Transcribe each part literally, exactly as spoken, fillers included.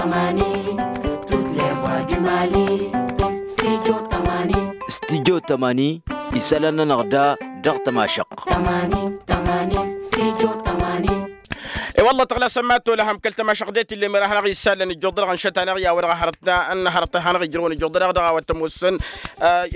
Tămani, tut levwa du mali. Stidyo tămani. Stidyo tămani. Isălan-nănăɣ da dăɣ-tămašăɣt. Tămani, tămani. Stidyo tămani. E-wălla tăɣlasăm ma tolăhăm kăl-tămašăɣt de tillem ira hanăɣ-isălan ijjuḍ-dăɣ ănšăt hanăɣ-i a-wa-dăɣ a hărăt n-hărăt hanăɣ-ijrăwăn ijjuḍ-dăɣ dăɣ-a-wa t-ămoosăn.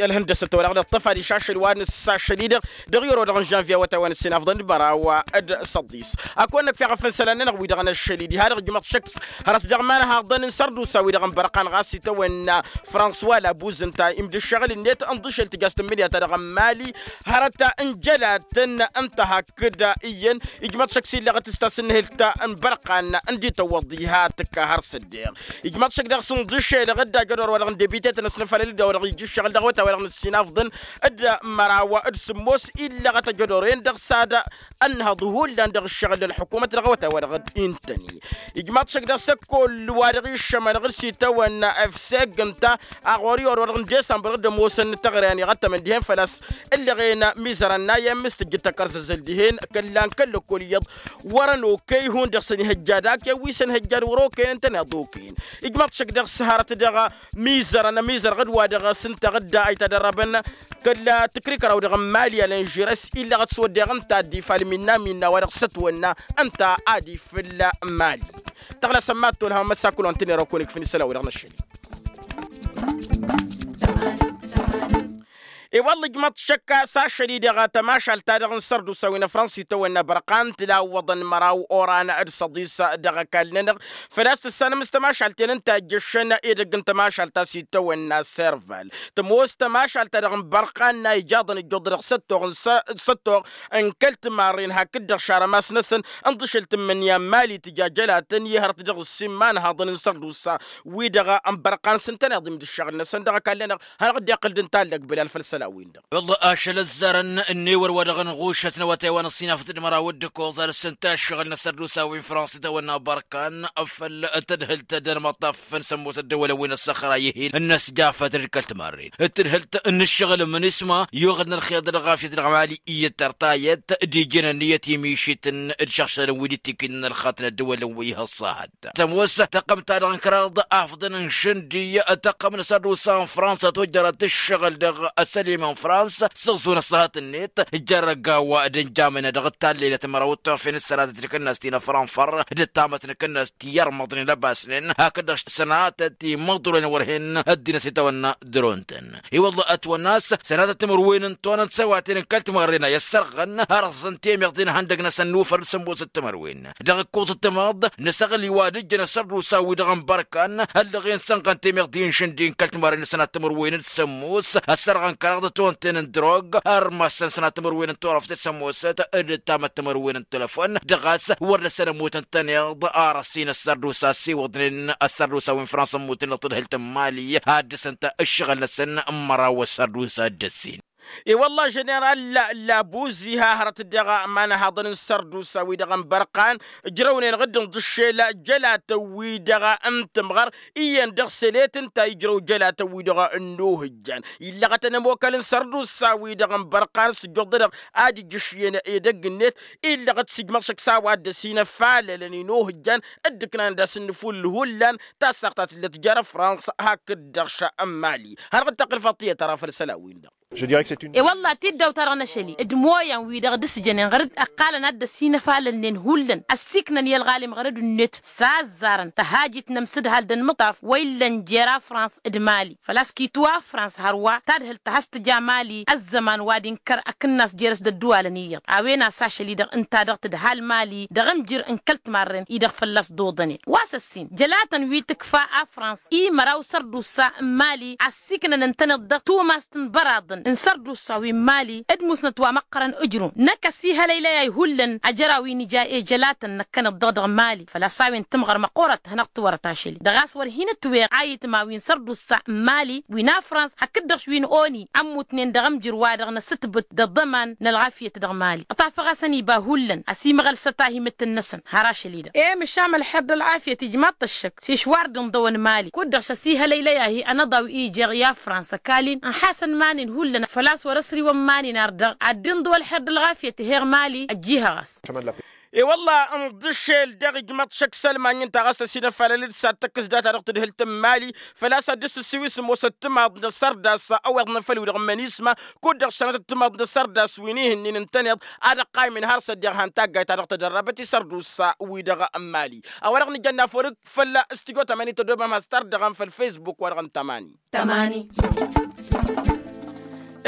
Ălhăndăsăt wa dăɣ-nǝṭṭăf adiš ašăl wa nǝssa ašăl-i-dăɣ dăɣ-i oro dăɣ-nǝžžanvya awătay wa n-ǝssin afḍăn d-măraw d-săḍis. Ad-kăwăn-năkf i-aɣăf n-isălan-nănăɣ wi-dăɣ n-ašăl-i diha-dăɣ ǝjmăḍ šăks hărăt dăɣ-imanăhaḍăn n-sărdusa-wi-dăɣ n-bărqan ɣas itawănna. Fransuwa labuz ǝnta imdǝššăɣǝl-net ǝnḍǝšel tǝjjăs tǝmmǝnǝya-ta-dăɣ n-mali hărăt n-jălatăn ǝnta hakd iyyăn ijmăḍ šăk s-illăɣăt s-tasǝnnǝhǝlt n-bărqan ǝndi tăwwăḍ diha tǝkka har s-ăddeɣ. Ijmăḍ šăk dăɣ-s ǝnḍǝšel ɣǝdda jădor wa dăɣ-n debitetăn s-nǝfalăl-dd a-wa dăɣ-ijjǝššăɣǝl dăɣ-awătay wa dăɣ-nǝssin afḍăn d-măraw d-sǝmmos illăɣăt ajădor-en dăɣ-s ad-ănnăhăḍ hullan dăɣ-ǝššăɣǝl ălḥukumăt dăɣ-awătay wa dăɣ-intăni. Ijmăḍ šăk dăɣ-s ăkkoll wa dăɣ-iššămăn ɣǝr-s itawănna efseg ǝnta a ɣur-i orăwăr n-disămbăr d-ămoosăn n-teɣăre a n-iɣăttămăn dihen făl-a-s ǝllăɣen mizărăn n-ayăm s-tǝjjǝd tăkkărzăzăl dihen kălla n-kăl-ăkkoll iyyăḍ. Wăr-ănokăy hundăɣ săn ihăjjad aken wi săn ihăjjad wăr-okăyăn ǝntăneḍ okăyăn. Ijmăḍ šăk dăɣ-s hărăt dăɣ-mizărăn ămizărăɣ d-wa-dăɣ s-ǝnta ɣǝdda a itadărrăbăn kăl-tǝkrikăraw dăɣ-mali alănžirăs illăɣăt s-wădden ǝnta ad-dd-ifalm inna minna wa dăɣ-s ătwănna ǝnta ad-ifǝl mali. Tăɣlăsăm mad-tolhăm măssakul wa n-tǝnera okăwăn ikfǝn isălan-wi-dăɣ n-ašăl-i. I-wălla ǝjmăḍ šăkka s-ašăl-i-dăɣ tămašalt-ta-dăɣ n-sărdusa wi n-afrăns itawănna bărqan tǝlawwăḍăn măraw oran d-săḍis dăɣ-ăkall-nănăɣ. Făl-a-s tǝssanăm s-tămašalt-en ǝnta ijjăššăn edăgg n-tămašalt ta s-itawănna serval tămoos tămašalt-ta-dăɣ n-bărqan n-a ijaḍăn ǝjjuḍ-dăɣ s-ăttoɣ n-săr- s-ăttoɣ n-kăl-timarren hakd-dăɣ šarămas-năsăn ǝnḍǝšǝl tǝmmǝnǝya n-mali tǝja jălatăn i-hărăt dăɣ-ǝssin-ma n-haḍăn n-sărdusa wi-dăɣ n-bărqan s-ǝntăneḍ imdǝššăɣǝl-năsăn dăɣ-ăkall-nănăɣ. Hanăɣ-dd-iqqǝl d-ǝnta ăllăg bǝlal făll-isălan-win-dăɣ. Wălla ašăl ăzzarăn ǝnnewăr wa dăɣ-nɣušăt n-awătay wa n-ăṣṣinafăt d-măraw d-ǝkkoẓ ar s-ǝnta ǝššăɣǝl n-asărdusa wi n-fransa itawănna bărkan făll-tadhǝlt d-ălmăṭṭaf n-sămmos ăddăwălăn wi n-ăṣṣăxra ihil n-ăsjafăt d-kăl-timarren d-tadhǝlt n-ǝššăɣǝl mǝnisma yuɣǝd n-ălxeḍ d-ălɣafyăt dăɣ-mali iyyăt tărtayăt d-ijăn ănniyăt i-mišităn d-išăɣšălăn wi d-itikinăn ălxatăn ăddăwălăn wi ihăṣṣahăt. Tămoos tăqqăm-ta-dăɣ n-kăraḍ afḍăn n-išǝndi tăqqăm n-asărdusa n-fransa tojjărăt ǝššăɣǝl dăɣ-asălim n-fransa s-ăẓẓu n-ăṣṣăhăt-net. Ǝjjărrăg a-wa d-ǝnjamănna dăɣ-tallăylăt măraw d-turfen d-sănatăt n-kănnast-i n-afranfăr d-ăttamăt n-kănnast i-irmăḍnen ăbasnen hakd-dăɣ s-sănatăt i-imǝḍrulăn wăr hen ăddinăs itawănna d-ronten. I-wălla ătwănna a-s sănatăt timǝrwen n-tonăn d-săwaten n-kăl-timărren a i-ăssărɣăn ărẓăn temeḍe n-ihăndăg-năsăn n-ufăr d-sămmosăt timǝrwen. Dăɣ-ǝkkoẓăt timaḍ nǝsăɣli wa d-ǝjjăn asărdusa wi-dăɣ n-bărkan ăllăɣen sănɣăn temeḍe n-išǝndi n-kăl-timărren n-sănat timǝrwen d-sămmos ăssărɣăn kăraḍăt onten n-drog ărmasăn sănat timǝrwen n-turăft d-sămmosăt d-ǝttamăt timǝrwen n-telăfon dăɣ-a-s wăr dăr-săn ămmut ǝntăneḍ. Arăsin asărdusa ăssiwăḍnen asărdusa wi n-fransa ămmutnen dăɣ-tadhǝlt n-mali ad-dăr-săn ta ǝššăɣǝl-năsăn n-măraw asărdusa d-ăssin. I-wălla ženeral labuzi ha hărăt-dd dăɣ-imanăhaḍăn n-sărdusa-wi-dăɣ n-bărqan ǝjrăwnen ɣǝddǝn d-ǝššel jălatăn-wi-dăɣ n-tǝmɣăr iyyăn dăɣ-sălet ǝnta ijrăw jălatăn-wi-dăɣ n-inuhǝjjan illăɣătăn ămokal n-sărdusa-wi-dăɣ n-bărqan s-ǝjjuḍ-dăɣ ad-ijǝšyăn edăgg-net. Illăɣăt s-ijmăḍ šăkk s-a-wa dd-ăsinăfalălăn inuhǝjjan dd-ǝknan ad-asǝnnǝfull hullan. Tassaɣt ta tǝllăt jer-fransa hakd-dăɣ šămmali hanăɣ-dd-tăqqǝl faṭṭiyăt ara făll-isălan-win-dăɣ. I-wălla tiddawt-ta-dăɣ n-ašăl-i d-imoyăn-wi-dăɣ dd-sǝjănen ɣăr-dd ăqqalăn ad-dd-ăsinăfalălnen hullan ăssiiknăn i-ălɣalim ɣărăd-net s-azzarăn tăhajit n-ămsǝdhal d-ănmǝṭṭaf wa illăn jer-afrans d-mali. Făl-a-s kitwa afrans hărwa tadhǝlt ta has-tǝja mali ăzzăman wa d-inkăr akǝnnas jer-s d-ădduwalăn iyyăḍ a-wen a-s ašăl-i-dăɣ ǝnta dăɣ-tǝdhal mali dăɣ-amjǝr n-kăl-timarren-i-dăɣ fălla-s dd-oḍănen wa s-ăssin jălatăn wi tǝkfa afrans i-măraw sărdusa n-mali ăssiiknăn ǝntăneḍ dăɣ-tumast n-băraḍăn n-sărdusa wi n-mali d-musnăt wa măqqărăn ǝjrun năkk ăsihălăylăy a ihullan ajăraw-i n-ija i-jălatăn năkkăneḍ-dăɣ dăɣ-mali. Făl-a-s a-wen tǝmɣăr măqqoorăt hanăɣ-tiwărăt ašăl-i dăɣ-a-s wăr hin-ǝtweɣ a itma wi n-sărdusa n-mali wi n-afrans hakd-dăɣ wi n-oni ămmutnen dăɣ-amjǝr-wa-dăɣ n-asǝtbǝt d-aḍăman n-ălɣafyăt dăɣ-mali. Ăṭṭafăɣ-asăn iba hullan ăsimăɣălsăt ahimǝttǝn-năsăn har ašăl-i-dăɣ i-măšan ălxer d-ălɣafyăt ijmaḍ-t ăššăk s-išwar d-inḍăwăn mali kud-dăɣ šăsihălăylăy-ahi ănăḍaw i-jeɣ i-afrans ăkall-in ănḥasăn iman-in hullan făl-a-s wăr-ăsriwăn iman-in ar dăɣ-ad-dd-inḍǝw ălxer d-ălɣafyăt ih'-eɣ mali ăjjihăɣ-as. E-wălla ǝnḍǝšel dăɣ-ijmăḍ šăkk s-ălmany ǝnta ɣas tăsinăfalăl-dd s-ad-tăkkǝs data dăɣ-tadhǝlt n-imali. Făl-a-s ad-dd-sǝssiwǝs ămoos ăttămaḍ n-asărdas a-wa iḍnăfăl-wi-dăɣ n-imănisma kud-dăɣ sănăt ăttămaḍ n-asărdas wi n-ihǝnnin ǝntăneḍ ad-ăqqaymen har s-ăddiɣ han taggayt-ta-dăɣ tădărrăbăt isărdusa-wi-dăɣ n-imali. A-wa-dăɣ nǝjănna făw dăɣ-fălla s-tijo tămani tădomăm has-tărdăɣăm făll-fesbuk-wa-dăɣ n-tămani. Tămani.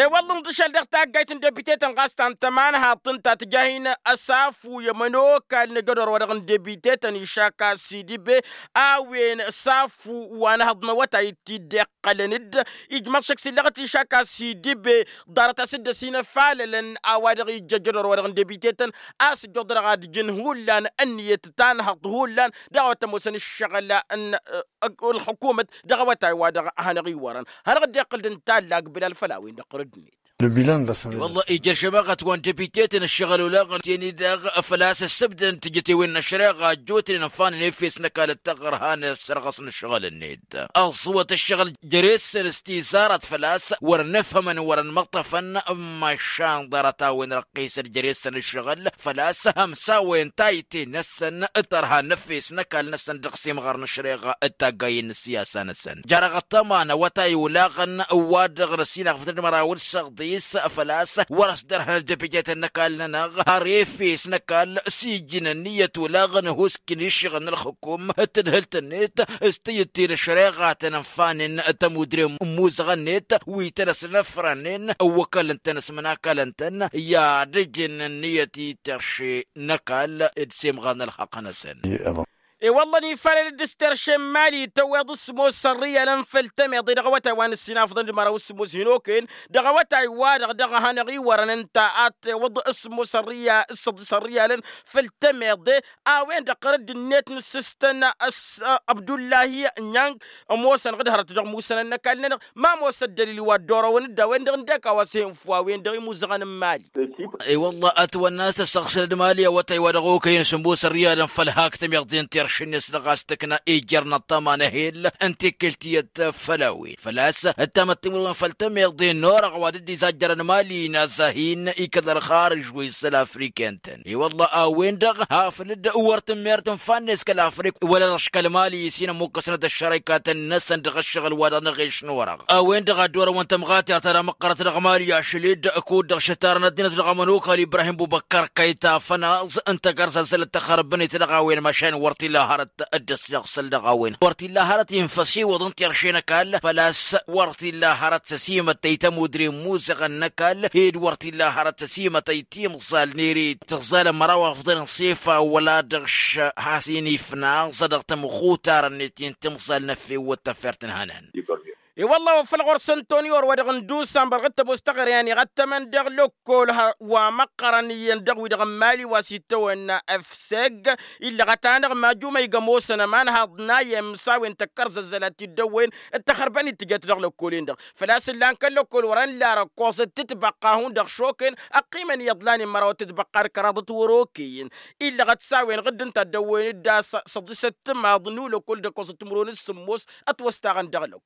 E-wălla ǝnḍǝšăl dăɣ-taggayt n-debitetăn ɣas ta n-tămanhaḍt ǝnta tǝja hin-ăsafu i-ămănokal n-ajădor-wa-dăɣ n-debitetăn išak a-s idibe a-wen ăsafu wa n-ehăḍ n-awătay t-dd-iqqălăn-dd. Ijmăḍ šăkk s-illăɣăt išak a-s idibe ḍarăt a-s dd-ăsinăfalălăn a-wa-dăɣ ijjă ajădor-wa-dăɣ n-debitetăn a-s ǝjjuḍ-dăɣ ad-ǝjǝn hullan ǝnniyăt tanhăḍt hullan dăɣ-a-wa t-ămoosăn ǝššăɣǝl n-ăgg ălxukumăt dăɣ-awătay wa dăɣ-hanăɣ-iwărăn. Hanăɣ-dd-iqqǝl d-ǝnta a ǝllag bilal făll-a-wen-dăɣ ɣur-ăddinăt. Ǝlbilăn d-asăn. Wălla ija ăššămaɣăt wa n-debiten ǝššăɣǝl olaɣăn teni-dăɣ făl-a-s ăssăbdăn tijătewen n-ăššăreɣa ăjjootnen ănfanen efes n-ăkall d-taɣărha n-ăssărɣăs n-ǝššăɣǝl-net. Ăẓwăt ǝššăɣǝl jere-săn s-tizarăt făl-a-s wăr-ănefhămăn wăr-ănmăṭṭăfăn. Mašan ḍarăt-a-wen răqqisăt jere-săn ǝššăɣǝl făl-a-s ămsawăyăn tayǝtte-năsăn tărha n-efes n-ăkall-năsăn dăɣ-s imɣăr n-ăššăreɣa d-taggayen n-ǝssiyasa-năsăn. Jarăɣ ăṭṭăma n-awătay olaɣăn ǝwwa-dăɣ n-ăssinăɣfăt d-măraw d-săḍis făl-a-s wăr-ăsdărhăn ăddăbijăytăn n-ăkall-nănăɣ har efes n-ăkall s-ijjǝn ǝnniyăt olaɣăn ăhuusken iššăɣǝl n-ălxǝkum d-tadhǝlt-net s-tijǝtte n-ăššăreɣa a tăn-ănfanen tămudre n-imuzăɣăn-net wi tăn-ăsnăfrănen ăwwăkălăn-tăn s-imănakalăn-tăn i-ad-ǝjǝn ǝnniyăt i-terše n-ăkall d-semɣar n-ălxaqq-năsăn. E-wălla ănifalăl-dd s-terše n-imali tăwweḍ s-sǝmmos ărrǝyalăn făll-temeḍe dăɣ-awătay wa n-ǝssinafḍăn d-măraw s-sǝmmos hin-okăyăn dăɣ-awătay-wa-dăɣ dăɣ-hanăɣ-iwărăn ǝnta ad-tewwăḍ s-sǝmmos ărrǝyalăn făll-temeḍe. A-wen-dăɣ ɣărădd-net n-assǝstăn ăbdullahi nyang ămoosăn ɣǝd hărăt dăɣ-musănăn n-ăkall-nănăɣ ma ămoos ăddălil wa dd-orăwăn-dd a-wen-dăɣ ǝndek a-wa s-hin-făw a-wen-dăɣ imuzăɣăn n-imali. I-wălla ătwănna a-s tăssăɣsălăd mali awătay wa dăɣ-okăyăn sǝmmos ărrǝyalăn făll-hak temeḍe n-terše-net dăɣ-a-s tǝkna ijjărna ăṭṭăma n-ehel n-tekkelt tiyyăt făll-a-wen făl-a-s ǝttamăt timǝrwen făll-temeḍe n-orăɣ wa dd-izajjărăn mali n-azahin ikăl ălxarǝž wi isăl afriken-tăn. I-wălla a-wen-dăɣ hafǝl-dd wăr tǝmmert ǝnfa-net kăl-afrik wăla dăɣ-aškăl mali s-hin-ămmukkăsnăt ăššărăykatăn-năsăn dăɣ-ăššăɣǝl-wa-dăɣ n-eɣeš n-orăɣ. A-wen-dăɣ a dd-orăwăn tămɣatert ta d-amăqqărăt dăɣ-mali ašăl-dd kud-dăɣ šătarăn ăddinăt dăɣ-ămănokal ibrahim bubăkkar kăyta fănaẓ ǝnta gărzăzzălăt tăxărbănet dăɣ-a-wen măšan wăr t-illa hărăt dd-ăssiɣsăl dăɣ-a-wen wăr t-illa hărăt infăsiwǝḍ n-terše n-ăkall făl-a-s wăr t-illa hărăt s-ăsimătăy tămudre n-imuzăɣăn n-ăkall ed wăr t-illa hărăt s-ăsimătăy timẓal n-ere tǝẓẓalăn măraw afḍăn n-sefa wăla dăɣ-š has-in-ifnaẓ dăɣ-tamɣutar-net i-n timẓal n-efewăt tafert n-hănan. I-wălla-wen făl ɣur-săn toni wăr wa dăɣ-n dusan bărɣăt tămoos taɣăre a n-iɣăttămăn dăɣ-lăkkol wa măqqărăn iyyăn dăɣ-wi-dăɣ n-mali wa s-ittăwănna efseg illăɣăt-anăɣ majumăy gămosăn ămanhaḍ n-ayyăm s-a-wen tăkkărzăzzăl ad-t-dd-ăwwăyăn d-taxărbănit tǝjăt dăɣ-lăkkol-en-dăɣ. Făl-a-s ǝllan kăl-lăkkol wăr-ănn larăkkoẓ d-tǝtbăqqa hundăɣ šokăyăn ăqqiimăn iyyăḍ lanen măraw d-tǝtbăqqa d-kăraḍăt wăr-okăyăn. Illăɣăt s-a-wen ɣǝdd ǝnta a dd-ăwwăyăn d-a-s săḍisăt timaḍ n-ulăkkol d-ăkkoẓăt timǝrwen s-sǝmmos ătwăstaɣăn dăɣ-lăw.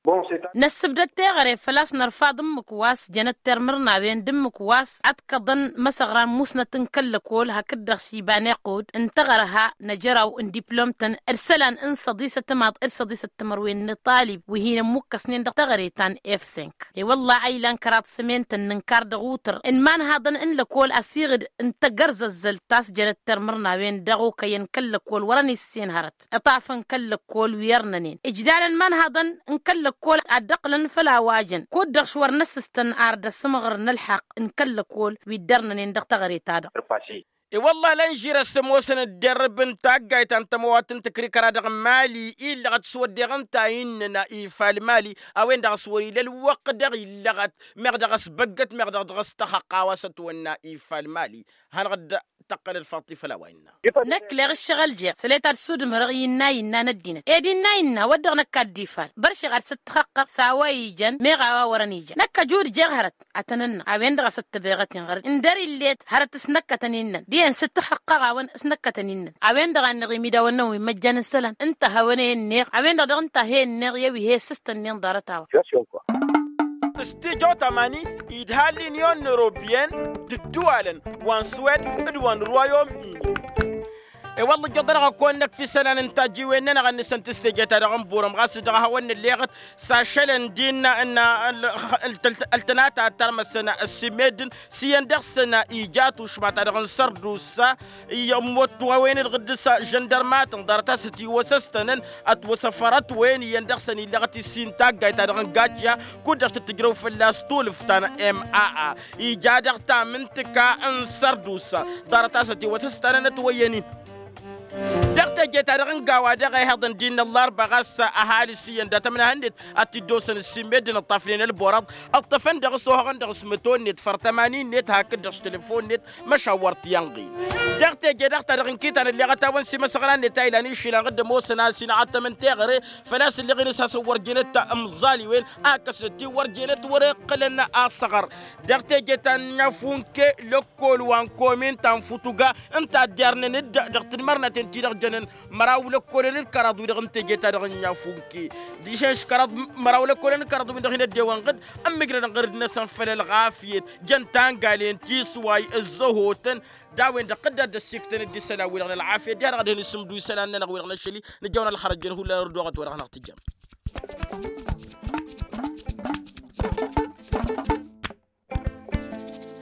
Năssǝbdăd teɣăre făl-a-s nărfaḍ ǝmmǝk wa s-jănăt termǝrnawen d-ǝmmǝk wa s-ătkăḍăn imăsăɣran musnăt n-kăl-lăkol hakd-dăɣ s-iba n-iqqud n-teɣărha n-ajăraw n-diplom-tăn d-isălan n-săḍisăt timaḍ d-săḍisăt timărwen n-iṭalib wi hin-ămmukkăsnen dăɣ-teɣăre ta n-efsink. I-wălla a ilan kăraḍ sămen-tăn n-inkar dăɣ-utǝr n-imanhaḍăn n-lăkol ăsiɣǝd n-tagărzăzzălt ta s-jănăt termǝrnawen dăɣ-okăyăn kăl-lăkol wărăn issen hărăt. Iṭafăn kăl-lăkkol wi ărnănen ǝjdalăn imanhaḍăn n-kăl-lăkkol ad-dd-ăqqǝlăn făll-a-wa jăn kud-dăɣ š-wăr năssǝstăn ar dăr-s ămɣăr n-ălḥăqq n-kăl-lăkkol wi dd-ărnănen dăɣ-teɣăre-ta-dăɣ. I-wălla lănžir ăsmosăn ădderrǝb n-taggayt ta n-tămăwat n-tǝkrikăra dăɣ-mali illăɣăt s-wădden ǝnta a innăna ifal mali a-wen-dăɣ a-s wăr-ila ălwăqq dăɣ-illăɣăt meɣ dăɣ-s băggăt meɣ dăɣ-s tăxăqqa a-wa s-ătwănna ifal mali. Hanăɣ-dd tăqqălăd faḍt-i făll-a-wa innă. Năkk leɣ ǝššăɣǝl jeɣ sălăy ta d-sudǝmrăɣ innă innă n-ăddinăt ed innă innă wăr dăɣ-năkk ad-dd-ifal băr šeɣ ad-săt-tăxăqqăɣ s-a-wa ijăn meɣ a-wa wărăn ijăn năkk ăjud jeɣ hărăt. Ad-tăn-ǝnnăɣ a-wen-dăɣ a-s ăttăbeɣăt-in ɣărăt ǝndăr-illet hărăt s-năkkătăn innăn dihen s-dd-tăxăqqăɣ-awăn s-năkkătăn innăn. A-wen-dăɣ a ǝnneɣ imidawăn-năwăn wi n-măjjan n-isălan ǝnta a hawăn-e-ǝnneɣ a-wen-dăɣ dăɣ-ǝnta a he-ǝnneɣ i-wi he-ǝssǝstănnen ḍarăt-a-wa. S-tijo tamani idha l-inyon n-eropiyăn d-ǝddǝwalăn wa n-suwed d-wa n-ruwayom-in. I-wălla ǝjjăḍ-anăɣ ăkk-onăk f-isălan n-tajjiwen-nănăɣ a ǝnnǝsăn tǝstejăt-ta-dăɣ n-burăm ɣas dăɣ-ehăwăn n-ălleɣăt s-ašălăn d-innă n-ăltănata a t-ărmăsăn s-imeddǝn s-iyyăn dăɣ-săn ija tušma-ta-dăɣ n-sărdusa. Iyyăn ămmottăwen d-ɣǝddǝs žăndărmatăn ḍarăt-as ătiwăsăstănăn ătwăsăfărătwen iyyăn dăɣ-săn illăɣăt issin taggayt-ta-dăɣ n-gajja kud-dăɣ tǝttǝjrăw fălla-s tulǝft ta n-maa. Ija dăɣ-tamǝntǝka n-sărdusa ḍarăt-as ătiwăsăstănăn ătwăyyăn-in. Dăɣ-teje-ta-dăɣ n-gawa dăɣ-ehăḍăn d-innă ăllarba ɣas ăhalǝs iyyăn dat-ămnahăn-net ad-t-dd-osăn ǝssin meddǝn ǝṭṭafnen ălborăḍ. Ǝṭṭăfăn dăɣ-s ohăɣăn dăɣ-s măto-net făr tămani-net hakd-dăɣ s-telefon-net. Măšawăr tiyănɣin dăɣ-teje-dăɣ ta dăɣ-inkităn ălleɣăt-awăn s-imăsăɣran-net a ilan išilăn ɣǝddǝm osăn a-s inɣăttăm n-teɣăre. Făl-a-s ǝlleɣ-in s-hasăn-wăr jenăt ămẓaliwen a ǝkkăsnăt-in wăr jenăt wăr-iqqǝlăn asăɣăr. Dăɣ-teje ta n-inyafunke lăkkol wa n-komin ta n-futuga ǝnta a dd-irnăn-dd dăɣ-tǝdmărnaten-ti-dăɣ jănăn. Măraw lăkkolăn d-kăraḍ-wi-dăɣ n-teje-ta-dăɣ n-inyafunke d-išănš kăraḍ. Măraw lăkkolăn d-kăraḍ-wi-dăɣ hin-ăddewăn ɣǝd ǝmmǝjrădăn ɣǝrǝd-năsăn făll-ălɣafyăt jăn tangalen tisway ǝzzăhotăn. D-a-wen-dăɣ tădda dd-ăssiktăn-dd isălan-wi-dăɣ n-ălɣafyăt diha-dăɣ ad-hin-isǝmdu isălan-nănăɣ-wi-dăɣ n-ašăl-i. Nǝjăwăn ălxărăt jăn hullan ărdoɣăt wa dăɣ-năɣ tǝjjăm.